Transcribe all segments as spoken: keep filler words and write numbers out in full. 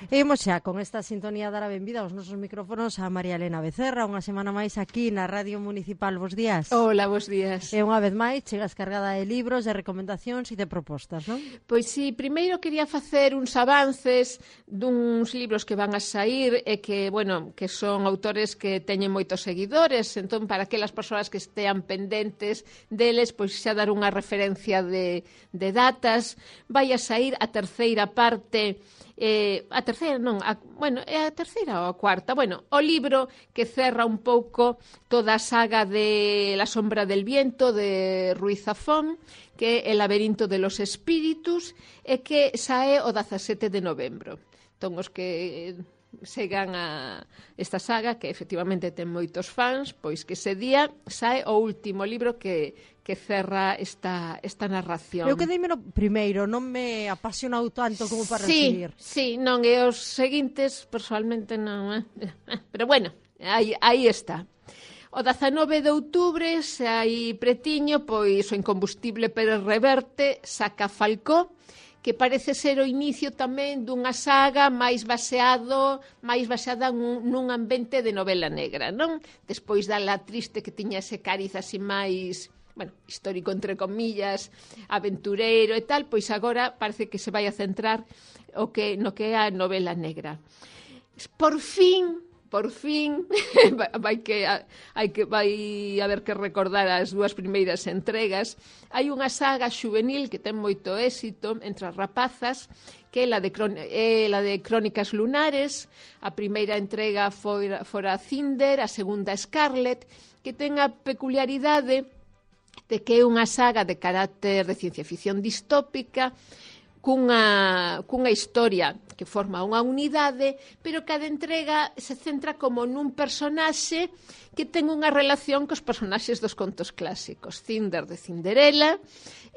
E imos xa con esta sintonía dar a benvida aos nosos micrófonos a María Elena Becerra, unha semana máis aquí na Radio Municipal. Bos días. Hola, bos días. E unha vez máis chegas cargada de libros, de recomendacións e de propostas, non? Pois si, primeiro quería facer uns avances duns libros que van a sair e que, bueno, que son autores que teñen moitos seguidores, entón para aquelas persoas que estean pendentes deles, pois xa dar unha referencia de, de datas. Vai a sair a terceira parte. Eh, a terceira non, a, bueno, é a terceira ou a cuarta, bueno, o libro que cerra un pouco toda a saga de La sombra del viento de Ruiz Zafón, que é El laberinto de los espíritus, e que sae o dezasete de novembro. Entón, os que segan a esta saga, que efectivamente ten moitos fans, pois que ese día sae o último libro que que cerra esta, esta narración. Eu quedeime no primeiro, non me apasionou tanto como para sí, recibir. Sí, non, e os seguintes, personalmente, non. Eh? Pero bueno, aí, aí está. O dezanove de outubro, se hai pretiño, pois o Incombustible Pérez Reverte saca Falcó, que parece ser o inicio tamén dunha saga máis baseado, máis baseada nun, nun ambiente de novela negra, non? Despois da La Triste, que tiña ese cariz así máis, bueno, histórico entre comillas, aventureiro e tal, pois agora parece que se vai a centrar o que no que é a novela negra. Por fin, por fin, vai que hai que vai haber que recordar as dúas primeiras entregas. Hai unha saga xuvenil que ten moito éxito entre as rapazas, que é la de, é la de Crónicas Lunares. A primeira entrega fora, fora Cinder, a segunda Scarlet, que ten a peculiaridade de que é unha saga de carácter de ciencia ficción distópica, cunha, cunha historia que forma unha unidade, pero cada entrega se centra como nun personaxe que ten unha relación cos personaxes dos contos clásicos. Cinder de Cinderela,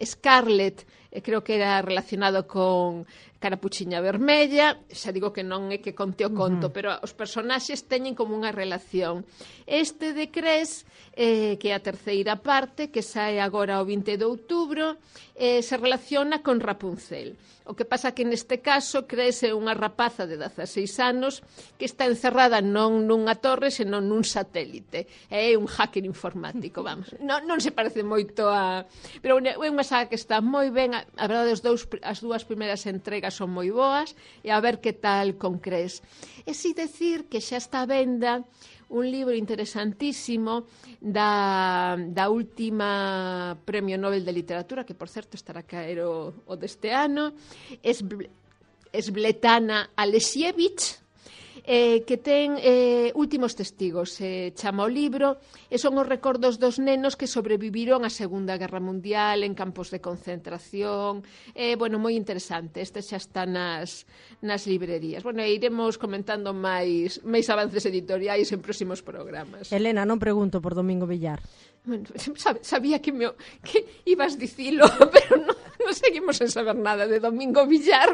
Scarlet, eh, creo que era relacionado con Carapuchiña Vermella, xa digo que non é que conte o conto, uh-huh. pero os personaxes teñen como unha relación. Este de Cres, eh, que é a terceira parte, que sae agora o vinte de outubro, eh, se relaciona con Rapunzel. O que pasa que neste caso Cres é unha rapaza de dezaseis anos que está encerrada non nunha torre, senón nun satélite. É un hacker informático, vamos. Non, non se parece moito a... Pero é unha saga que está moi ben. A, a verdade, os dous, as dúas primeiras entregas son moi boas, e a ver que tal con Cres. E si decir que xa está a venda un libro interesantísimo da, da última Premio Nobel de Literatura, que, por certo, estará a caer o, o deste ano, es, Svetlana Alexievich, eh, que ten eh, Últimos testigos, se eh, chama o libro, e son os recordos dos nenos que sobreviviron á Segunda Guerra Mundial en campos de concentración. Eh, bueno, moi interesante, este xa está nas, nas librerías. Bueno, e iremos comentando máis, máis avances editoriais en próximos programas. Elena, non pregunto por Domingo Villar. Bueno, sabía que, me, que ibas dicilo, pero non, non seguimos sen saber nada de Domingo Villar.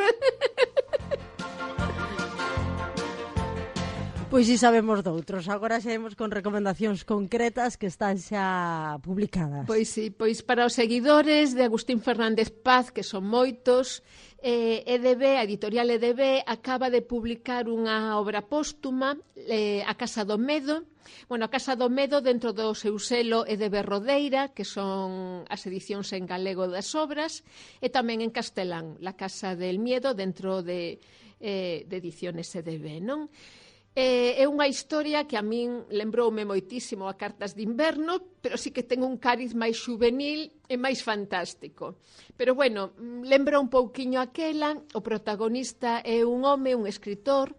Pois si sabemos doutros, agora xa imos con recomendacións concretas que están xa publicadas. Pois si, pois para os seguidores de Agustín Fernández Paz, que son moitos, eh, E D B, a editorial E D B, acaba de publicar unha obra póstuma, eh, A Casa do Medo. Bueno, A Casa do Medo, dentro do seu selo E D B Rodeira, que son as edicións en galego das obras, e tamén en castelán, La Casa del Miedo, dentro de, eh, de ediciones E D B, non? É unha historia que a min lembroume moitísimo a Cartas de Inverno, pero sí que ten un cariz máis juvenil e máis fantástico. Pero, bueno, lembra un pouquiño aquela. O protagonista é un home, un escritor,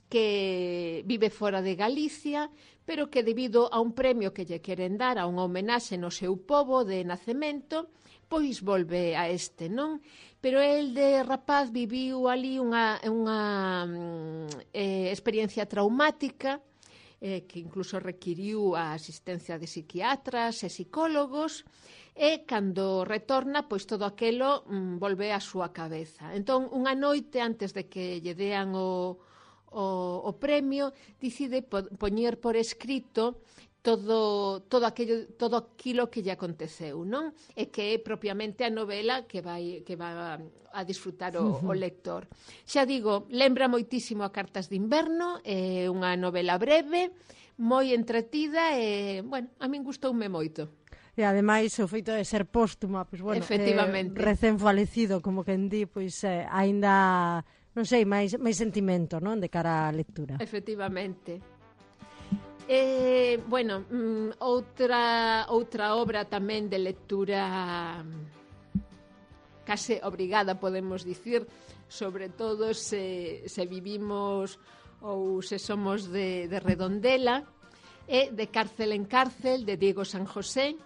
que vive fora de Galicia, pero que debido a un premio que lle queren dar, a unha homenaxe no seu pobo de nacemento, pois volve a este, non? Pero el de rapaz viviu ali unha, unha eh, experiencia traumática eh, que incluso requiriu a asistencia de psiquiatras e psicólogos, e cando retorna, pois todo aquelo mm, volve á súa cabeza. Entón, unha noite antes de que lle dean o, o, o premio, decide po, poñer por escrito todo todo aquello todo aquilo que lle aconteceu, non? E que é propiamente a novela que vai que va a disfrutar o, o lector. Xa digo, lembra moitísimo a Cartas de inverno, é unha novela breve, moi entretida e, bueno, a min gustoume moito. E ademais o feito de ser póstuma, pois bueno, efectivamente, eh, recén falecido, como quen di, pois eh, aínda, non sei, máis máis sentimento, non, de cara á lectura. Efectivamente. Eh, bueno, mm, outra outra obra tamén de lectura case obrigada, podemos dicir, sobre todo se, se vivimos ou se somos de, de Redondela, é De cárcel en cárcel, de Diego San José,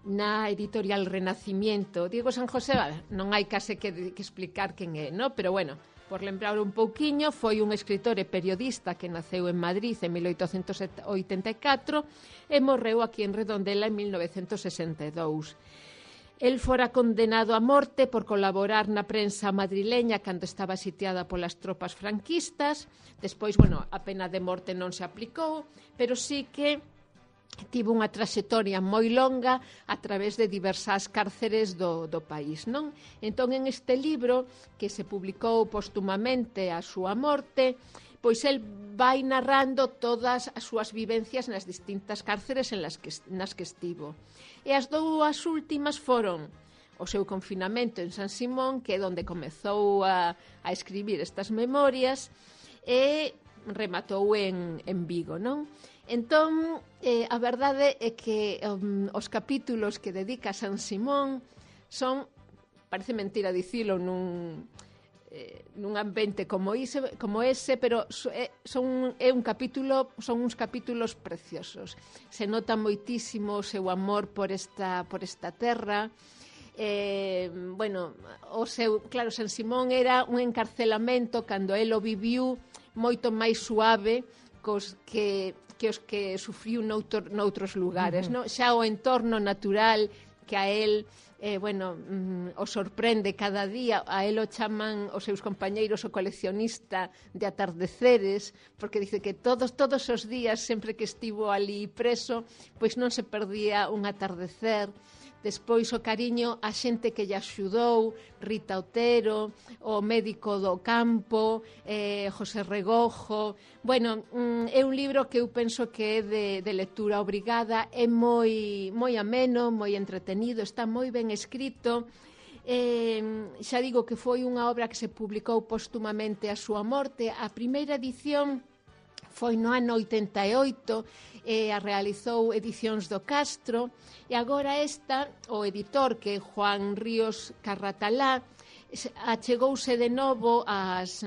na editorial Renacimiento. Diego San José, vale, non hai case que, que explicar quen é, no? Pero bueno, por lembrar un pouquiño, foi un escritor e periodista que naceu en Madrid en mil oitocentos oitenta e catro e morreu aquí en Redondela en mil novecentos sesenta e dous. El fora condenado a morte por colaborar na prensa madrileña cando estaba sitiada polas tropas franquistas. Despois, bueno, a pena de morte non se aplicou, pero sí que tivo unha traxectoria moi longa a través de diversas cárceres do, do país, non? Entón, en este libro, que se publicou póstumamente a súa morte, pois el vai narrando todas as súas vivencias nas distintas cárceres en las que, nas que estivo. E as dúas últimas foron o seu confinamento en San Simón, que é onde comezou a, a escribir estas memorias, e rematou en, en Vigo, non? Entón, eh, a verdade é que um, os capítulos que dedica a San Simón son, parece mentira dicilo nun, eh, nun ambiente como ese, como ese pero so, é, son, é un capítulo, son uns capítulos preciosos. Se nota moitísimo o seu amor por esta, por esta terra. Eh, bueno, o seu, claro, San Simón era un encarcelamento cando el o viviu moito máis suave cos que que os que sufriu noutro, noutros lugares, uh-huh. No? Xa o entorno natural que a él eh, bueno, mm, o sorprende cada día, a él o chaman os seus compañeiros o coleccionista de atardeceres, porque dice que todos todos os días, sempre que estivo ali preso, pois non se perdía un atardecer. Despois o cariño a xente que lle axudou, Rita Otero, o médico do campo, eh, José Regojo. Bueno, mm, é un libro que eu penso que é de, de lectura obrigada, é moi, moi ameno, moi entretenido, está moi ben escrito. Eh, xa digo que foi unha obra que se publicou póstumamente a súa morte. A primeira edición foi no ano oitenta e oito, e a realizou Edicións do Castro, e agora esta, o editor, que é Juan Ríos Carratalá, achegouse de novo as,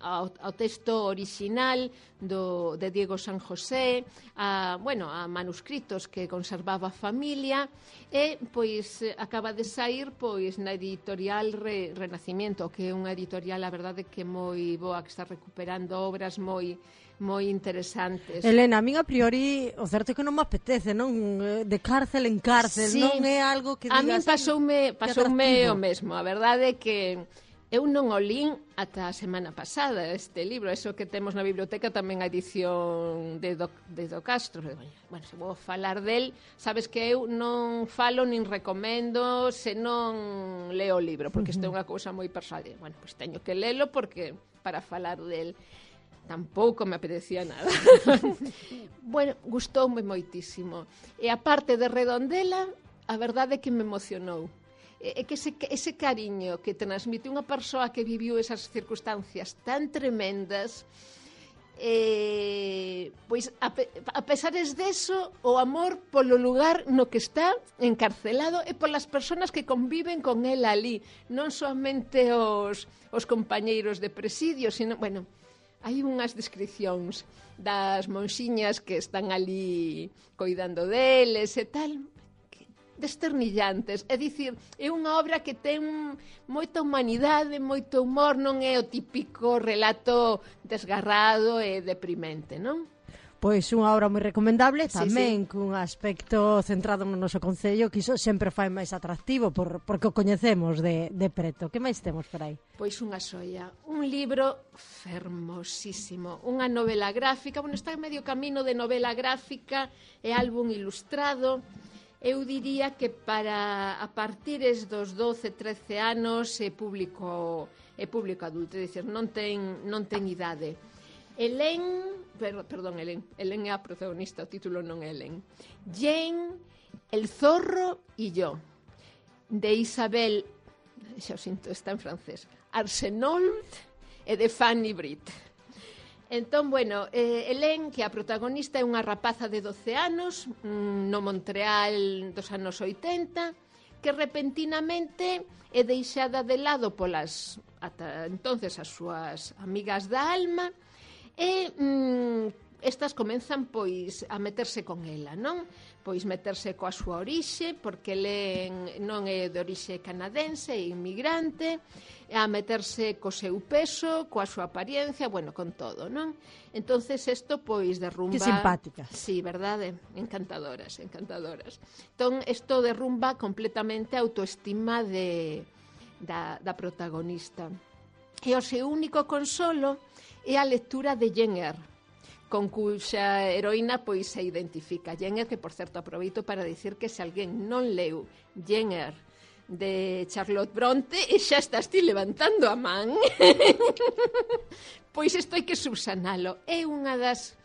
ao, ao texto orixinal do, de Diego San José, a, bueno, a manuscritos que conservaba a familia, e pois acaba de sair pois na editorial Re, Renacimiento, que é unha editorial, a verdade, que moi boa, que está recuperando obras moi moi interesantes. Elena, a min a priori o certo é que non me apetece, non? De cárcel en cárcel, sí, non é algo que digas... A min pasoume, pasoume o mesmo, a verdade é que eu non o lín ata a semana pasada este libro, eso que temos na biblioteca tamén a edición de Do, de Do Castro. Bueno, se vou falar del, sabes que eu non falo nin recomendo se non leo o libro, porque isto é unha cousa moi persoal. Bueno, pois teño que lelo porque para falar del tampouco me apetecía nada. Bueno, gustoume moitísimo. E a parte de Redondela, a verdade é que me emocionou. É que ese, ese cariño que transmite unha persoa que viviu esas circunstancias tan tremendas, eh, pois a, a pesares deso, o amor polo lugar no que está encarcelado e polas persoas que conviven con él ali, non somente os, os compañeiros de presidio, sino, bueno, hai unhas descripcións das monxiñas que están ali coidando deles e tal, desternillantes. É dicir, é unha obra que ten moita humanidade, moito humor, non é o típico relato desgarrado e deprimente, non? Pois unha obra moi recomendable, Sí, tamén sí. cun aspecto centrado no noso concello, que iso sempre fai máis atractivo por, porque o coñecemos de, de preto. Que máis temos por aí? Pois unha xoia, un libro fermosísimo, unha novela gráfica, bueno, está en medio camino de novela gráfica e álbum ilustrado. Eu diría que para a partires dos doce, trece anos é público, é público adulto, é dicir, non ten, non ten idade. Helen, per, perdón, Helen, Helen é a protagonista, o título non é Helen. Jane, El zorro y yo, de Isabel, xa o sinto, está en francés, Arsenault e de Fanny Britt. Entón, bueno, eh, Helen, que a protagonista é unha rapaza de doce anos, mm, no Montreal dos anos oitenta, que repentinamente é deixada de lado polas, ata entonces, as súas amigas da alma, e mm, estas comenzan pois a meterse con ela, non? Pois meterse coa súa orixe, porque Helen non é de orixe canadense, é inmigrante, a meterse co seu peso, coa súa apariencia, bueno, con todo, non? Entonces isto pois derrumba... Que simpáticas. Sí, verdade? Encantadoras, encantadoras. Entón, isto derrumba completamente a autoestima de, da, da protagonista. E o seu único consolo é a lectura de Jane Eyre, con cuxa heroína pois se identifica. Jane Eyre, que por certo aproveito para dicir que se alguén non leu Jane Eyre de Charlotte Bronte e xa estás ti levantando a man, pois isto hai que subsanalo. É unha das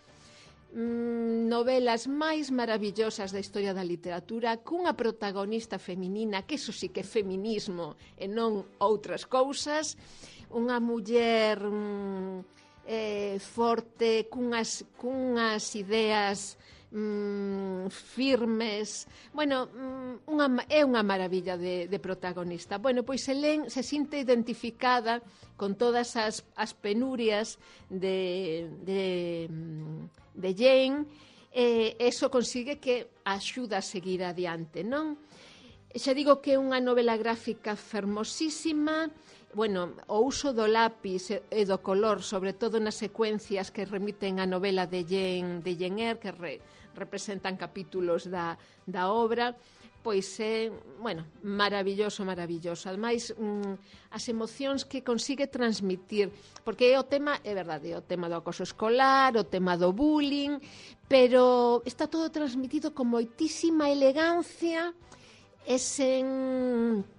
mm, novelas máis maravillosas da historia da literatura, cunha protagonista feminina, que iso sí que é feminismo e non outras cousas, unha muller mm, eh, forte, cunhas, cunhas ideas mm, firmes. Bueno, mm, unha, é unha maravilla de, de protagonista. Bueno, pois Helen se sinte identificada con todas as, as penurias de, de, de Jane, e eso consigue que axuda a seguir adiante, non? Xa digo que é unha novela gráfica fermosísima. Bueno, o uso do lápis e do color, sobre todo nas secuencias que remiten a novela de Jane, de Jane Eyre, que re, representan capítulos da, da obra, pois é, bueno, maravilloso, maravilloso. Ademais, mm, as emocións que consigue transmitir, porque é o tema, é verdade, o tema do acoso escolar, o tema do bullying, pero está todo transmitido con moitísima elegancia e sen...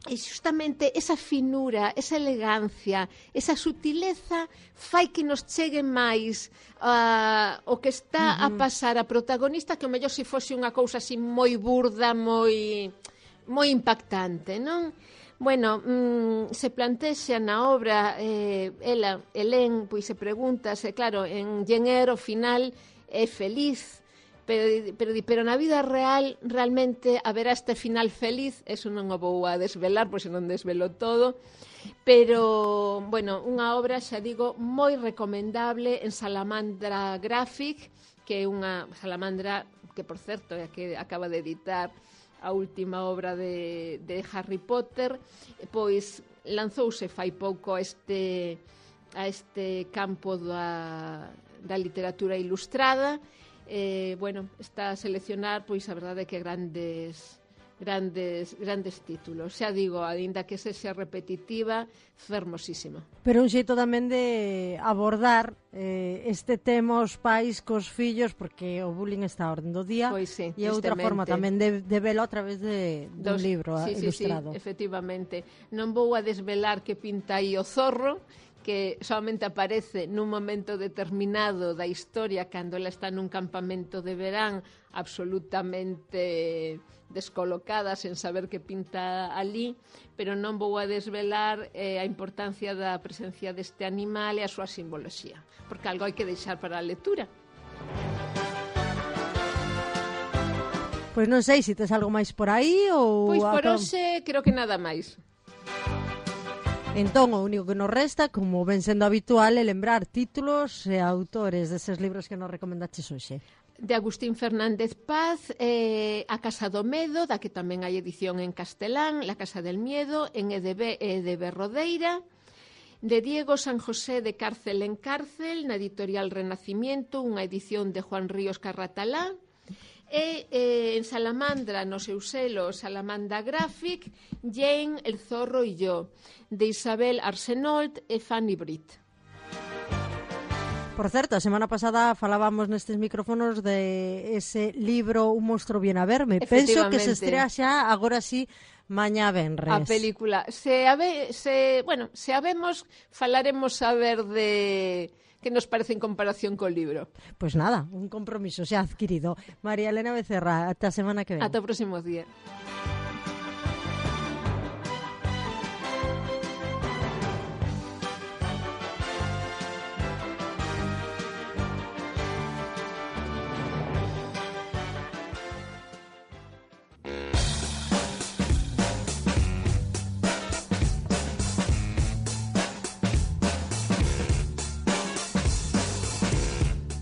E justamente esa finura, esa elegancia, esa sutileza fai que nos chegue máis uh, o que está uh -huh. a pasar a protagonista, que o mellor se fose unha cousa así moi burda, moi moi impactante, non? Bueno, mm, se plantexa na obra, eh, ela, Helen, pois se pregunta, se claro, en Jane Eyre, ao final, é feliz, Pero, pero, pero na vida real realmente haberá este final feliz, eso non o vou a desvelar, pois non desvelo todo, pero, bueno, unha obra, xa digo, moi recomendable en Salamandra Graphic, que é unha Salamandra que, por certo, é a que acaba de editar a última obra de, de Harry Potter, pois lanzouse fai pouco a este, a este campo da, da literatura ilustrada. Eh, bueno, está a seleccionar, pois a verdade é que grandes grandes grandes títulos. Xa digo, aínda que sexa repetitiva, fermosísima. Pero un xeito tamén de abordar eh, este tema os pais cos fillos, porque o bullying está a orden do día, pois sí, e outra forma tamén de, de velo a través de, dun Dos, libro sí, ilustrado. Sí, sí, efectivamente. Non vou a desvelar que pinta aí o zorro, que solamente aparece nun momento determinado da historia, cando ela está nun campamento de verán absolutamente descolocada, sen saber que pinta ali, pero non vou a desvelar eh, a importancia da presencia deste animal e a súa simboloxía, porque algo hai que deixar para a lectura. Pois non sei se tes algo máis por aí ou... Pois por acab... hoxe creo que nada máis. Entón, o único que nos resta, como ven sendo habitual, é lembrar títulos e autores deses libros que nos recomendaches hoxe. De Agustín Fernández Paz, eh, A Casa do Medo, da que tamén hai edición en castelán, La Casa del Miedo, en E D B e E D B Rodeira. de Diego San José de Cárcel en Cárcel, na editorial Renacimiento, unha edición de Juan Ríos Carratalá, e eh, en Salamandra, no seu selo Salamandra Graphic, Jane, El zorro y yo, de Isabel Arsenault e Fanny Britt. Por certo, a semana pasada falábamos nestes micrófonos de ese libro Un monstro viene a verme. Penso que se estrea xa agora sí mañá venres. A película. Se, habe, se, bueno, se habemos, falaremos a ver de que nos parece en comparación col libro. Pois pues nada, un compromiso xa adquirido. María Elena Becerra, ata a semana que ven. Ata o próximo día.